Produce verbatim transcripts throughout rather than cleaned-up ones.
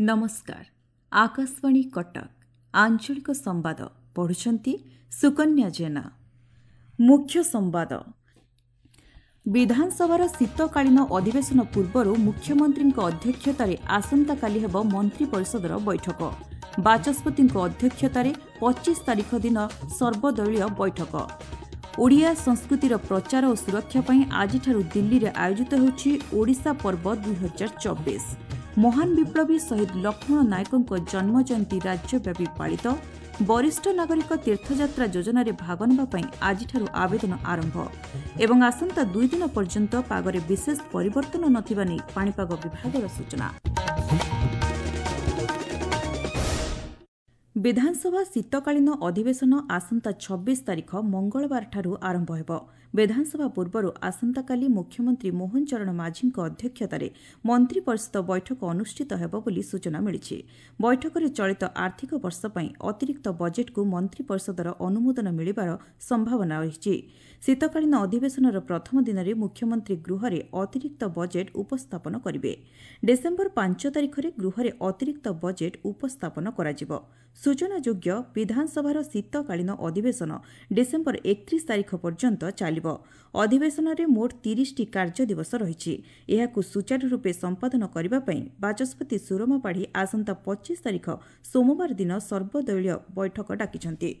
ନମସ୍କାର, ଆକାଶବାଣୀ କଟକ, ଆଞ୍ଚଳିକ ସମ୍ବାଦ ପଢୁଛନ୍ତି ସୁକନ୍ୟା ଜେନା। ମୁଖ୍ୟ ସମ୍ବାଦ। ବିଧାନସଭାର ଶୀତକାଳୀନ ଅଧିବେଶନ ପୂର୍ବରୁ ମୁଖ୍ୟମନ୍ତ୍ରୀଙ୍କ ଅଧ୍ୟକ୍ଷତାରେ ଆସନ୍ତାକାଲି ହେବ ମନ୍ତ୍ରୀ ପରିଷଦର ବୈଠକ। ବାଚସ୍ପତିଙ୍କ ଅଧ୍ୟକ୍ଷତାରେ ପଚିଶ ତାରିଖ ଦିନ ସର୍ବଦଳୀୟ ବୈଠକ। ଓଡ଼ିଆ ସଂସ୍କୃତିର ପ୍ରଚାର ଓ ସୁରକ୍ଷା ପାଇଁ ଆଜିଠାରୁ ଦିଲ୍ଲୀରେ ଆୟୋଜିତ ହେଉଛି ଓଡ଼ିଶା ପର୍ବ ଦୁଇହଜାର ଚବିଶ। ମହାନ ବିପ୍ଳବୀ ଶହୀଦ ଲକ୍ଷ୍ମଣ ନାୟକଙ୍କ ଜନ୍ମଜୟନ୍ତୀ ରାଜ୍ୟବ୍ୟାପୀ ପାଳିତ। ବରିଷ୍ଠ ନାଗରିକ ତୀର୍ଥଯାତ୍ରା ଯୋଜନାରେ ଭାଗ ନେବା ପାଇଁ ଆଜିଠାରୁ ଆବେଦନ ଆରମ୍ଭ। ଏବଂ ଆସନ୍ତା ଦୁଇ ଦିନ ପର୍ଯ୍ୟନ୍ତ ପାଗରେ ବିଶେଷ ପରିବର୍ତ୍ତନ ନଥିବା ନେଇ ପାଣିପାଗ ବିଭାଗର ସୂଚନା। ବିଧାନସଭା ଶୀତକାଳୀନ ଅଧିବେଶନ ଆସନ୍ତା ଛବିଶ ତାରିଖ ମଙ୍ଗଳବାରଠାରୁ ଆରମ୍ଭ ହେବ। ବିଧାନସଭା ପୂର୍ବରୁ ଆସନ୍ତାକାଲି ମୁଖ୍ୟମନ୍ତ୍ରୀ ମୋହନ ଚରଣ ମାଝୀଙ୍କ ଅଧ୍ୟକ୍ଷତାରେ ମନ୍ତ୍ରୀ ପରିଷଦ ବୈଠକ ଅନୁଷ୍ଠିତ ହେବ ବୋଲି ସୂଚନା ମିଳିଛି। ବୈଠକରେ ଚଳିତ ଆର୍ଥିକ ବର୍ଷ ପାଇଁ ଅତିରିକ୍ତ ବଜେଟ୍କୁ ମନ୍ତ୍ରୀ ପରିଷଦର ଅନୁମୋଦନ ମିଳିବାର ସମ୍ଭାବନା ରହିଛି। ଶୀତକାଳୀନ ଅଧିବେଶନର ପ୍ରଥମ ଦିନରେ ମୁଖ୍ୟମନ୍ତ୍ରୀ ଗୃହରେ ଅତିରିକ୍ତ ବଜେଟ୍ ଉପସ୍ଥାପନ କରିବେ। ଡିସେମ୍ବର ପାଞ୍ଚ ତାରିଖରେ ଗୃହରେ ଅତିରିକ୍ତ ବଜେଟ୍ ଉପସ୍ଥାପନ କରାଯିବ। ସୂଚନାଯୋଗ୍ୟ, ବିଧାନସଭାର ଶୀତକାଳୀନ ଅଧିବେଶନ ଡିସେମ୍ବର ଏକତ୍ରିଶ ତାରିଖ ପର୍ଯ୍ୟନ୍ତ ଚାଲିବ। ଅଧିବେଶନରେ ମୋଟ ତିରିଶଟି କାର୍ଯ୍ୟ ଦିବସ ରହିଛି। ଏହାକୁ ସୁଚାରୁ ରୂପେ ସମ୍ପାଦନ କରିବା ପାଇଁ ବାଚସ୍ପତି ସୁରମା ପାଢ଼ୀ ଆସନ୍ତା ପଚିଶ ତାରିଖ ସୋମବାର ଦିନ ସର୍ବଦଳୀୟ ବୈଠକ ଡାକିଛନ୍ତି।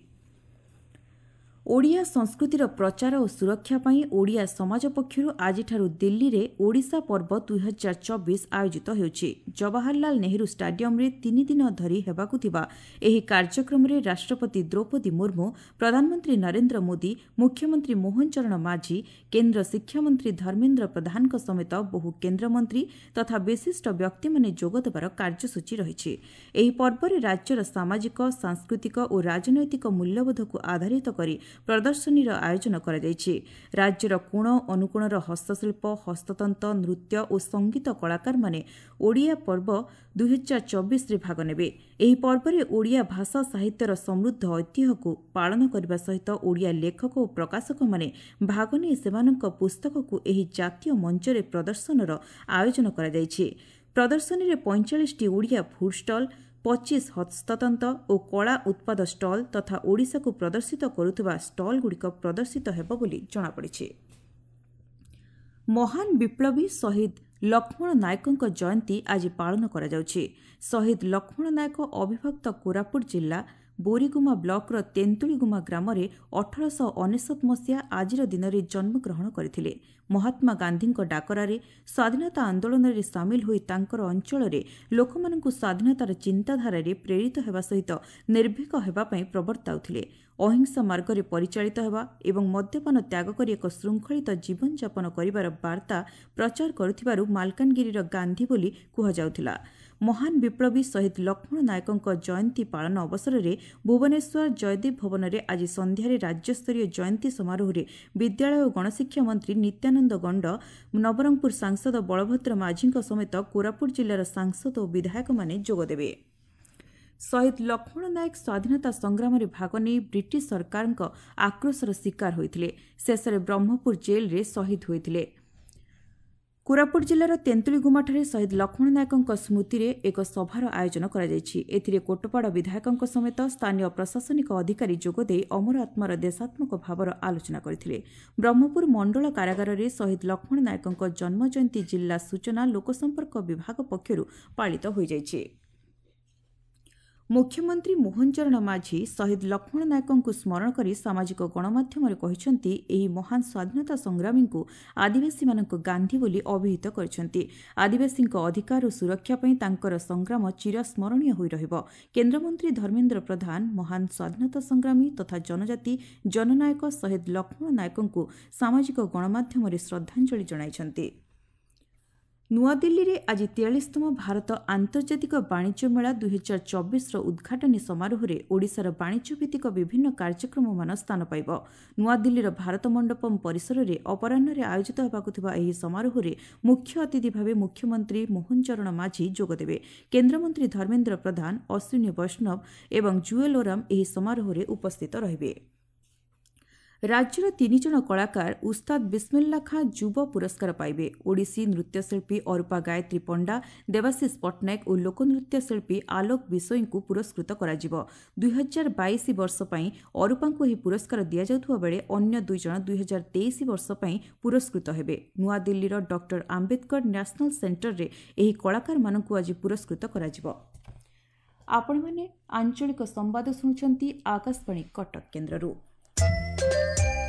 ଓଡ଼ିଆ ସଂସ୍କୃତିର ପ୍ରଚାର ଓ ସୁରକ୍ଷା ପାଇଁ ଓଡ଼ିଆ ସମାଜ ପକ୍ଷରୁ ଆଜିଠାରୁ ଦିଲ୍ଲୀରେ ଓଡ଼ିଶା ପର୍ବ ଦୁଇହଜାର ଚବିଶ ଆୟୋଜିତ ହେଉଛି। ଜବାହରଲାଲ ନେହେରୁ ଷ୍ଟାଡିୟମରେ ତିନି ଦିନ ଧରି ହେବାକୁ ଥିବା ଏହି କାର୍ଯ୍ୟକ୍ରମରେ ରାଷ୍ଟ୍ରପତି ଦ୍ରୌପଦୀ ମୁର୍ମୁ, ପ୍ରଧାନମନ୍ତ୍ରୀ ନରେନ୍ଦ୍ର ମୋଦି, ମୁଖ୍ୟମନ୍ତ୍ରୀ ମୋହନ ଚରଣ ମାଝୀ, କେନ୍ଦ୍ର ଶିକ୍ଷାମନ୍ତ୍ରୀ ଧର୍ମେନ୍ଦ୍ର ପ୍ରଧାନଙ୍କ ସମେତ ବହୁ କେନ୍ଦ୍ରମନ୍ତ୍ରୀ ତଥା ବିଶିଷ୍ଟ ବ୍ୟକ୍ତିମାନେ ଯୋଗଦେବାର କାର୍ଯ୍ୟସୂଚୀ ରହିଛି। ଏହି ପର୍ବରେ ରାଜ୍ୟର ସାମାଜିକ, ସାଂସ୍କୃତିକ ଓ ରାଜନୈତିକ ମୂଲ୍ୟବୋଧକୁ ଆଧାରିତ କରି ପ୍ରଦର୍ଶନୀର ଆୟୋଜନ କରାଯାଇଛି। ରାଜ୍ୟର କୋଣ ଅନୁକୋଣର ହସ୍ତଶିଳ୍ପ, ହସ୍ତତନ୍ତ, ନୃତ୍ୟ ଓ ସଙ୍ଗୀତ କଳାକାରମାନେ ଓଡ଼ିଆ ପର୍ବ ଦୁଇହଜାର ଚବିଶରେ ଭାଗ ନେବେ। ଏହି ପର୍ବରେ ଓଡ଼ିଆ ଭାଷା ସାହିତ୍ୟର ସମୃଦ୍ଧ ଐତିହ୍ୟକୁ ପାଳନ କରିବା ସହିତ ଓଡ଼ିଆ ଲେଖକ ଓ ପ୍ରକାଶକମାନେ ଭାଗ ନେଇ ସେମାନଙ୍କ ପୁସ୍ତକକୁ ଏହି ଜାତୀୟ ମଞ୍ଚରେ ପ୍ରଦର୍ଶନର ଆୟୋଜନ କରାଯାଇଛି। ପ୍ରଦର୍ଶନୀରେ ପଇଁଚାଳିଶଟି ଓଡ଼ିଆ ଫୁଡ୍ ଷ୍ଟଲ୍, ପଚିଶ ହସ୍ତତନ୍ତ ଓ କଳା ଉତ୍ପାଦ ଷ୍ଟଲ୍ ତଥା ଓଡ଼ିଶାକୁ ପ୍ରଦର୍ଶିତ କରୁଥିବା ଷ୍ଟଲ୍ଗୁଡ଼ିକ ପ୍ରଦର୍ଶିତ ହେବ ବୋଲି ଜଣାପଡ଼ିଛି। ମହାନ ବିପ୍ଳବୀ ଶହୀଦ ଲକ୍ଷ୍ମଣ ନାୟକଙ୍କ ଜୟନ୍ତୀ ଆଜି ପାଳନ କରାଯାଉଛି। ଶହୀଦ ଲକ୍ଷ୍ମଣ ନାୟକ ଅବିଭକ୍ତ କୋରାପୁଟ ଜିଲ୍ଲା ବୋରିଗୁମା ବ୍ଲକର ତେନ୍ତୁଳିଗୁମା ଗ୍ରାମରେ ଅଠରଶହ ଅନେଶତ ମସିହା ଆଜିର ଦିନରେ ଜନ୍ମଗ୍ରହଣ କରିଥିଲେ। ମହାତ୍ମା ଗାନ୍ଧୀଙ୍କ ଡାକରାରେ ସ୍ୱାଧୀନତା ଆନ୍ଦୋଳନରେ ସାମିଲ ହୋଇ ତାଙ୍କର ଅଞ୍ଚଳରେ ଲୋକମାନଙ୍କୁ ସ୍ୱାଧୀନତାର ଚିନ୍ତାଧାରାରେ ପ୍ରେରିତ ହେବା ସହିତ ନିର୍ଭୀକ ହେବା ପାଇଁ ପ୍ରବର୍ତ୍ତାଉଥିଲେ। ଅହିଂସା ମାର୍ଗରେ ପରିଚାଳିତ ହେବା ଏବଂ ମଦ୍ୟପାନ ତ୍ୟାଗ କରି ଏକ ଶୃଙ୍ଖଳିତ ଜୀବନଯାପନ କରିବାର ବାର୍ତ୍ତା ପ୍ରଚାର କରୁଥିବାରୁ ମାଲକାନଗିରିର ଗାନ୍ଧୀ ବୋଲି କୁହାଯାଉଥିଲା। ମହାନ ବିପ୍ଳବୀ ଶହୀଦ ଲକ୍ଷ୍ମଣ ନାୟକଙ୍କ ଜୟନ୍ତୀ ପାଳନ ଅବସରରେ ଭୁବନେଶ୍ୱର ଜୟଦେବ ଭବନରେ ଆଜି ସନ୍ଧ୍ୟାରେ ରାଜ୍ୟସ୍ତରୀୟ ଜୟନ୍ତୀ ସମାରୋହରେ ବିଦ୍ୟାଳୟ ଓ ଗଣଶିକ୍ଷା ମନ୍ତ୍ରୀ ନିତ୍ୟାନନ୍ଦ ଗଣ୍ଡ, ନବରଙ୍ଗପୁର ସାଂସଦ ବଳଭଦ୍ର ମାଝୀଙ୍କ ସମେତ କୋରାପୁଟ ଜିଲ୍ଲାର ସାଂସଦ ଓ ବିଧାୟକମାନେ ଯୋଗଦେବେ। ଶହୀଦ ଲକ୍ଷ୍ମଣ ନାୟକ ସ୍ୱାଧୀନତା ସଂଗ୍ରାମରେ ଭାଗ ନେଇ ବ୍ରିଟିଶ ସରକାରଙ୍କ ଆକ୍ରୋଶର ଶିକାର ହୋଇଥିଲେ। ଶେଷରେ ବ୍ରହ୍ମପୁର ଜେଲ୍ରେ ଶହୀଦ ହୋଇଥିଲେ। କୋରାପୁଟ ଜିଲ୍ଲାର ତେନ୍ତୁଳିଗୁମାଠାରେ ଶହୀଦ ଲକ୍ଷ୍ମଣ ନାୟକଙ୍କ ସ୍ମୃତିରେ ଏକ ସଭାର ଆୟୋଜନ କରାଯାଇଛି। ଏଥିରେ କୋଟପାଡ଼ ବିଧାୟକଙ୍କ ସମେତ ସ୍ଥାନୀୟ ପ୍ରଶାସନିକ ଅଧିକାରୀ ଯୋଗଦେଇ ଅମର ଆତ୍ମାର ଦେଶାତ୍ମକ ଭାବର ଆଲୋଚନା କରିଥିଲେ। ବ୍ରହ୍ମପୁର ମଣ୍ଡଳ କାରାଗାରରେ ଶହୀଦ ଲକ୍ଷ୍ମଣ ନାୟକଙ୍କ ଜନ୍ମଜୟନ୍ତୀ ଜିଲ୍ଲା ସୂଚନା ଲୋକସମ୍ପର୍କ ବିଭାଗ ପକ୍ଷରୁ ପାଳିତ ହୋଇଯାଇଛି। ମୁଖ୍ୟମନ୍ତ୍ରୀ ମୋହନ ଚରଣ ମାଝୀ ଶହୀଦ ଲକ୍ଷ୍ମଣ ନାୟକଙ୍କୁ ସ୍ମରଣ କରି ସାମାଜିକ ଗଣମାଧ୍ୟମରେ କହିଛନ୍ତି, ଏହି ମହାନ ସ୍ୱାଧୀନତା ସଂଗ୍ରାମୀଙ୍କୁ ଆଦିବାସୀମାନଙ୍କ ଗାନ୍ଧୀ ବୋଲି ଅଭିହିତ କରିଛନ୍ତି। ଆଦିବାସୀଙ୍କ ଅଧିକାର ଓ ସୁରକ୍ଷା ପାଇଁ ତାଙ୍କର ସଂଗ୍ରାମ ଚିରସ୍ମରଣୀୟ ହୋଇ ରହିବ। କେନ୍ଦ୍ରମନ୍ତ୍ରୀ ଧର୍ମେନ୍ଦ୍ର ପ୍ରଧାନ ମହାନ ସ୍ୱାଧୀନତା ସଂଗ୍ରାମୀ ତଥା ଜନଜାତି ଜନନାୟକ ଶହୀଦ ଲକ୍ଷ୍ମଣ ନାୟକଙ୍କୁ ସାମାଜିକ ଗଣମାଧ୍ୟମରେ ଶ୍ରଦ୍ଧାଞ୍ଜଳି ଜଣାଇଛନ୍ତି। ନୂଆଦିଲ୍ଲୀରେ ଆଜି ତେୟାଳିଶତମ ଭାରତ ଆନ୍ତର୍ଜାତିକ ବାଣିଜ୍ୟ ମେଳା ଦୁଇହଜାର ଚବିଶର ଉଦ୍ଘାଟନୀ ସମାରୋହରେ ଓଡ଼ିଶାର ବାଣିଜ୍ୟଭିତ୍ତିକ ବିଭିନ୍ନ କାର୍ଯ୍ୟକ୍ରମମାନ ସ୍ଥାନ ପାଇବ। ନୂଆଦିଲ୍ଲୀର ଭାରତ ମଣ୍ଡପମ୍ ପରିସରରେ ଅପରାହ୍ନରେ ଆୟୋଜିତ ହେବାକୁ ଥିବା ଏହି ସମାରୋହରେ ମୁଖ୍ୟ ଅତିଥି ଭାବେ ମୁଖ୍ୟମନ୍ତ୍ରୀ ମୋହନ ଚରଣ ମାଝୀ ଯୋଗଦେବେ। କେନ୍ଦ୍ରମନ୍ତ୍ରୀ ଧର୍ମେନ୍ଦ୍ର ପ୍ରଧାନ, ଅଶ୍ୱିନୀ ବୈଷ୍ଣବ ଏବଂ ଜୁଏଲ୍ ଓରାମ ଏହି ସମାରୋହରେ ଉପସ୍ଥିତ ରହିବେ। ରାଜ୍ୟର ତିନି ଜଣ କଳାକାର ଉସ୍ତାଦ ବିସ୍ମିଲ୍ଲା ଖାଁ ଯୁବ ପୁରସ୍କାର ପାଇବେ। ଓଡ଼ିଶୀ ନୃତ୍ୟଶିଳ୍ପୀ ଅରୁପା ଗାୟତ୍ରୀ ପଣ୍ଡା, ଦେବାଶିଷ ପଟ୍ଟନାୟକ ଓ ଲୋକନୃତ୍ୟ ଶିଳ୍ପୀ ଆଲୋକ ବିଷୋୟୀଙ୍କୁ ପୁରସ୍କୃତ କରାଯିବ। ଦୁଇହଜାର ବାଇଶ ବର୍ଷ ପାଇଁ ଅରୁପାଙ୍କୁ ଏହି ପୁରସ୍କାର ଦିଆଯାଉଥିବା ବେଳେ ଅନ୍ୟ ଦୁଇଜଣ ଦୁଇହଜାର ତେଇଶ ବର୍ଷ ପାଇଁ ପୁରସ୍କୃତ ହେବେ। ନୂଆଦିଲ୍ଲୀର ଡକ୍ଟର ଆମ୍ବେଦକର ନ୍ୟାସନାଲ ସେଣ୍ଟରରେ ଏହି କଳାକାରମାନଙ୍କୁ ଆଜି ପୁରସ୍କୃତ କରାଯିବ। ଆପଣମାନେ ଆଞ୍ଚଳିକ ସମ୍ବାଦ ଶୁଣୁଛନ୍ତି ଆକାଶବାଣୀ କଟକ କେନ୍ଦ୍ରରୁ।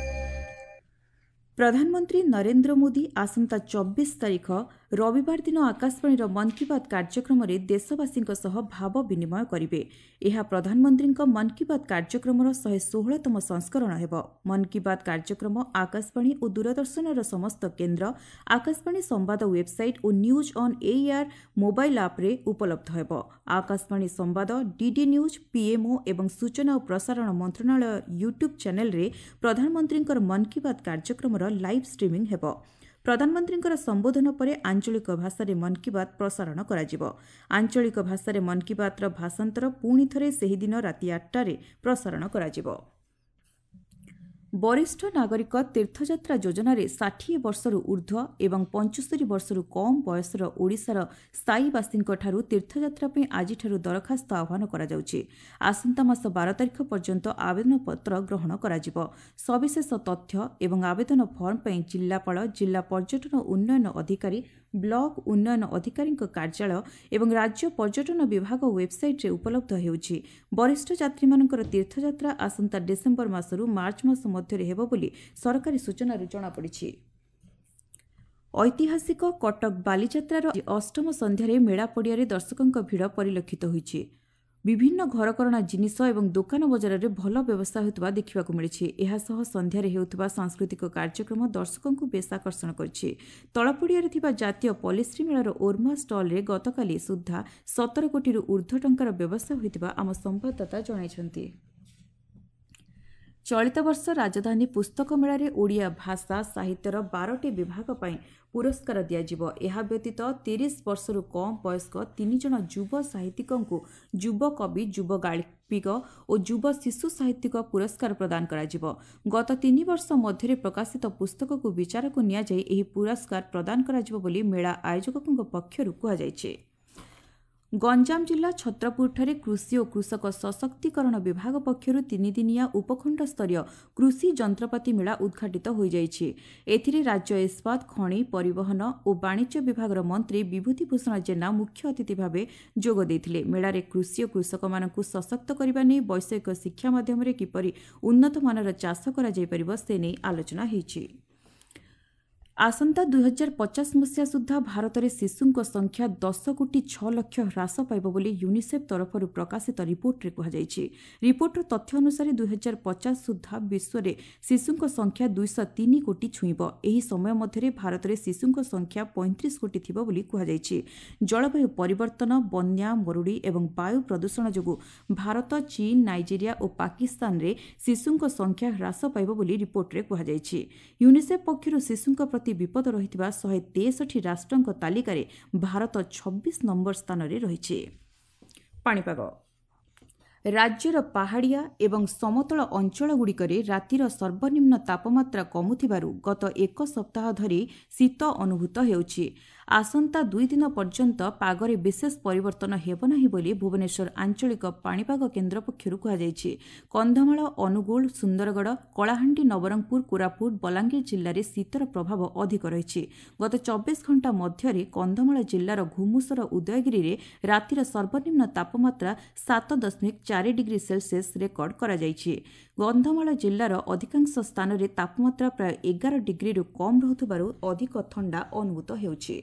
ପ୍ରଧାନମନ୍ତ୍ରୀ ନରେନ୍ଦ୍ର ମୋଦି ଆସନ୍ତା ଚବିଶ ତାରିଖ ରବିବାର ଦିନ ଆକାଶବାଣୀର ମନ୍ କି ବାତ୍ କାର୍ଯ୍ୟକ୍ରମରେ ଦେଶବାସୀଙ୍କ ସହ ଭାବ ବିନିମୟ କରିବେ। ଏହା ପ୍ରଧାନମନ୍ତ୍ରୀଙ୍କ ମନ୍ କି ବାତ୍ କାର୍ଯ୍ୟକ୍ରମର ଶହେ ଷୋହଳତମ ସଂସ୍କରଣ ହେବ। ମନ୍ କି ବାତ୍ କାର୍ଯ୍ୟକ୍ରମ ଆକାଶବାଣୀ ଓ ଦୂରଦର୍ଶନର ସମସ୍ତ କେନ୍ଦ୍ର, ଆକାଶବାଣୀ ସମ୍ବାଦ ୱେବ୍ସାଇଟ୍ ଓ ନ୍ୟୁଜ୍ ଅନ୍ ଏଇଆର୍ ମୋବାଇଲ୍ ଆପ୍ରେ ଉପଲବ୍ଧ ହେବ। ଆକାଶବାଣୀ ସମ୍ବାଦ, ଡିଡି ନ୍ୟୁଜ୍, ପିଏମ୍ଓ ଏବଂ ସୂଚନା ଓ ପ୍ରସାରଣ ମନ୍ତ୍ରଣାଳୟ ୟୁଟ୍ୟୁବ୍ ଚ୍ୟାନେଲ୍ରେ ପ୍ରଧାନମନ୍ତ୍ରୀଙ୍କର ମନ୍ କି ବାତ୍ କାର୍ଯ୍ୟକ୍ରମର ଲାଇଭ୍ ଷ୍ଟ୍ରିମିଂ ହେବ। ପ୍ରଧାନମନ୍ତ୍ରୀଙ୍କର ସମ୍ବୋଧନ ପରେ ଆଞ୍ଚଳିକ ଭାଷାରେ ମନ୍ କି ବାତ୍ ପ୍ରସାରଣ କରାଯିବ। ଆଞ୍ଚଳିକ ଭାଷାରେ ମନ୍ କି ବାତ୍ର ଭାଷାନ୍ତର ପୁଣି ଥରେ ସେହିଦିନ ରାତି ଆଠଟାରେ ପ୍ରସାରଣ କରାଯିବ। ବରିଷ୍ଠ ନାଗରିକ ତୀର୍ଥଯାତ୍ରା ଯୋଜନାରେ ଷାଠିଏ ବର୍ଷରୁ ଊର୍ଦ୍ଧ୍ୱ ଏବଂ ପଞ୍ଚସ୍ତରୀ ବର୍ଷରୁ କମ୍ ବୟସର ଓଡ଼ିଶାର ସ୍ଥାୟୀବାସୀଙ୍କଠାରୁ ତୀର୍ଥଯାତ୍ରା ପାଇଁ ଆଜିଠାରୁ ଦରଖାସ୍ତ ଆହ୍ୱାନ କରାଯାଉଛି। ଆସନ୍ତା ମାସ ବାର ତାରିଖ ପର୍ଯ୍ୟନ୍ତ ଆବେଦନପତ୍ର ଗ୍ରହଣ କରାଯିବ। ସବିଶେଷ ତଥ୍ୟ ଏବଂ ଆବେଦନ ଫର୍ମ ପାଇଁ ଜିଲ୍ଲାପାଳ, ଜିଲ୍ଲା ପର୍ଯ୍ୟଟନ ଉନ୍ନୟନ ଅଧିକାରୀ, ବ୍ଲକ ଉନ୍ନୟନ ଅଧିକାରୀଙ୍କ କାର୍ଯ୍ୟାଳୟ ଏବଂ ରାଜ୍ୟ ପର୍ଯ୍ୟଟନ ବିଭାଗ ୱେବ୍ସାଇଟ୍ରେ ଉପଲବ୍ଧ ହେଉଛି। ବରିଷ୍ଠ ଯାତ୍ରୀମାନଙ୍କର ତୀର୍ଥଯାତ୍ରା ଆସନ୍ତା ଡିସେମ୍ବର ମାସରୁ ମାର୍ଚ୍ଚ ମାସ ମଧ୍ୟରେ ହେବ ବୋଲି ସରକାରୀ ସୂଚନାରୁ ଜଣାପଡ଼ିଛି। ଐତିହାସିକ କଟକ ବାଲିଯାତ୍ରାର ଅଷ୍ଟମ ସନ୍ଧ୍ୟାରେ ମେଳା ପଡ଼ିଆରେ ଦର୍ଶକଙ୍କ ଭିଡ଼ ପରିଲକ୍ଷିତ ହୋଇଛି। ବିଭିନ୍ନ ଘରକରଣା ଜିନିଷ ଏବଂ ଦୋକାନ ବଜାରରେ ଭଲ ବ୍ୟବସାୟ ହେଉଥିବା ଦେଖିବାକୁ ମିଳିଛି। ଏହାସହ ସନ୍ଧ୍ୟାରେ ହେଉଥିବା ସାଂସ୍କୃତିକ କାର୍ଯ୍ୟକ୍ରମ ଦର୍ଶକଙ୍କୁ ବେଶ୍ ଆକର୍ଷଣ କରିଛି। ତଳପଡ଼ିଆରେ ଥିବା ଜାତୀୟ ପଲିଶ୍ରୀ ମେଳାର ଓର୍ମା ଷ୍ଟଲ୍ରେ ଗତକାଲି ସୁଦ୍ଧା ସତର କୋଟିରୁ ଊର୍ଦ୍ଧ୍ୱ ଟଙ୍କାର ବ୍ୟବସାୟ ହୋଇଥିବା ଆମ ସମ୍ବାଦଦାତା ଜଣାଇଛନ୍ତି। ଚଳିତ ବର୍ଷ ରାଜଧାନୀ ପୁସ୍ତକ ମେଳାରେ ଓଡ଼ିଆ ଭାଷା ସାହିତ୍ୟର ବାରଟି ବିଭାଗ ପାଇଁ ପୁରସ୍କାର ଦିଆଯିବ। ଏହା ବ୍ୟତୀତ ତିରିଶ ବର୍ଷରୁ କମ୍ ବୟସ୍କ ତିନି ଜଣ ଯୁବ ସାହିତ୍ୟିକଙ୍କୁ ଯୁବ କବି, ଯୁବ ଗାଳ୍ପିକ ଓ ଯୁବ ଶିଶୁ ସାହିତ୍ୟିକ ପୁରସ୍କାର ପ୍ରଦାନ କରାଯିବ। ଗତ ତିନି ବର୍ଷ ମଧ୍ୟରେ ପ୍ରକାଶିତ ପୁସ୍ତକକୁ ବିଚାରକୁ ନିଆଯାଇ ଏହି ପୁରସ୍କାର ପ୍ରଦାନ କରାଯିବ ବୋଲି ମେଳା ଆୟୋଜକଙ୍କ ପକ୍ଷରୁ କୁହାଯାଇଛି। ଗଞ୍ଜାମ ଜିଲ୍ଲା ଛତ୍ରପୁରଠାରେ କୃଷି ଓ କୃଷକ ସଶକ୍ତିକରଣ ବିଭାଗ ପକ୍ଷରୁ ତିନିଦିନିଆ ଉପଖଣ୍ଡସ୍ତରୀୟ କୃଷି ଯନ୍ତ୍ରପାତି ମେଳା ଉଦ୍ଘାଟିତ ହୋଇଯାଇଛି। ଏଥିରେ ରାଜ୍ୟ ଇସ୍ପାତ, ଖଣି, ପରିବହନ ଓ ବାଣିଜ୍ୟ ବିଭାଗର ମନ୍ତ୍ରୀ ବିଭୂତି ଭୂଷଣ ଜେନା ମୁଖ୍ୟ ଅତିଥି ଭାବେ ଯୋଗ ଦେଇଥିଲେ। ମେଳାରେ କୃଷି ଓ କୃଷକମାନଙ୍କୁ ସଶକ୍ତ କରିବା ନେଇ ବୈଷୟିକ ଶିକ୍ଷା ମାଧ୍ୟମରେ କିପରି ଉନ୍ନତମାନର ଚାଷ କରାଯାଇପାରିବ ସେ ନେଇ ଆଲୋଚନା ହୋଇଛି। ଆସନ୍ତା ଦୁଇହଜାର ପଚାଶ ମସିହା ସୁଦ୍ଧା ଭାରତରେ ଶିଶୁଙ୍କ ସଂଖ୍ୟା ଦଶ କୋଟି ଛଅ ଲକ୍ଷ ହ୍ରାସ ପାଇବ ବୋଲି ୟୁନିସେଫ୍ ତରଫରୁ ପ୍ରକାଶିତ ରିପୋର୍ଟରେ କୁହାଯାଇଛି। ରିପୋର୍ଟର ତଥ୍ୟ ଅନୁସାରେ ଦୁଇହଜାର ପଚାଶ ସୁଦ୍ଧା ବିଶ୍ୱରେ ଶିଶୁଙ୍କ ସଂଖ୍ୟା ଦୁଇଶହ ତିନି କୋଟି ଛୁଇଁବ। ଏହି ସମୟ ମଧ୍ୟରେ ଭାରତରେ ଶିଶୁଙ୍କ ସଂଖ୍ୟା ପଇଁତିରିଶ କୋଟି ଥିବ ବୋଲି କୁହାଯାଇଛି। ଜଳବାୟୁ ପରିବର୍ତ୍ତନ, ବନ୍ୟା, ମରୁଡ଼ି ଏବଂ ବାୟୁ ପ୍ରଦୂଷଣ ଯୋଗୁଁ ଭାରତ, ଚୀନ, ନାଇଜେରିଆ ଓ ପାକିସ୍ତାନରେ ଶିଶୁଙ୍କ ସଂଖ୍ୟା ହ୍ରାସ ପାଇବ ବୋଲି ରିପୋର୍ଟରେ କୁହାଯାଇଛି। ୟୁନିସେଫ୍ ପକ୍ଷରୁ ଶିଶୁଙ୍କ ପ୍ରତି ବିପଦ ରହିଥିବା ଶହେ ତେଷଠି ରାଷ୍ଟ୍ରଙ୍କ ତାଲିକାରେ ଭାରତ ଛବିଶ ନମ୍ବର ସ୍ଥାନରେ ରହିଛି। ପାଣିପାଗ ରାଜ୍ୟର ପାହାଡ଼ିଆ ଏବଂ ସମତଳ ଅଞ୍ଚଳଗୁଡ଼ିକରେ ରାତିର ସର୍ବନିମ୍ନ ତାପମାତ୍ରା କମୁଥିବାରୁ ଗତ ଏକ ସପ୍ତାହ ଧରି ଶୀତ ଅନୁଭୂତ ହେଉଛି। ଆସନ୍ତା ଦୁଇ ଦିନ ପର୍ଯ୍ୟନ୍ତ ପାଗରେ ବିଶେଷ ପରିବର୍ତ୍ତନ ହେବ ନାହିଁ ବୋଲି ଭୁବନେଶ୍ୱର ଆଞ୍ଚଳିକ ପାଣିପାଗ କେନ୍ଦ୍ର ପକ୍ଷରୁ କୁହାଯାଇଛି। କନ୍ଧମାଳ, ଅନୁଗୁଳ, ସୁନ୍ଦରଗଡ଼, କଳାହାଣ୍ଡି, ନବରଙ୍ଗପୁର, କୋରାପୁଟ, ବଲାଙ୍ଗୀର ଜିଲ୍ଲାରେ ଶୀତର ପ୍ରଭାବ ଅଧିକ ରହିଛି। ଗତ ଚବିଶ ଘଣ୍ଟା ମଧ୍ୟରେ କନ୍ଧମାଳ ଜିଲ୍ଲାର ଘୁମୁସର ଉଦୟଗିରିରେ ରାତିର ସର୍ବନିମ୍ନ ତାପମାତ୍ରା ସାତ ଦଶମିକ ଚାରି ଡିଗ୍ରୀ ସେଲସିୟସ୍ ରେକର୍ଡ କରାଯାଇଛି। କନ୍ଧମାଳ ଜିଲ୍ଲାର ଅଧିକାଂଶ ସ୍ଥାନରେ ତାପମାତ୍ରା ପ୍ରାୟ ଏଗାର ଡିଗ୍ରୀରୁ କମ୍ ରହୁଥିବାରୁ ଅଧିକ ଥଣ୍ଡା ଅନୁଭୂତ ହେଉଛି।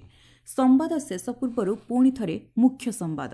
ସମ୍ବାଦ ଶେଷ ପୂର୍ବରୁ ପୁଣି ଥରେ ମୁଖ୍ୟ ସମ୍ବାଦ।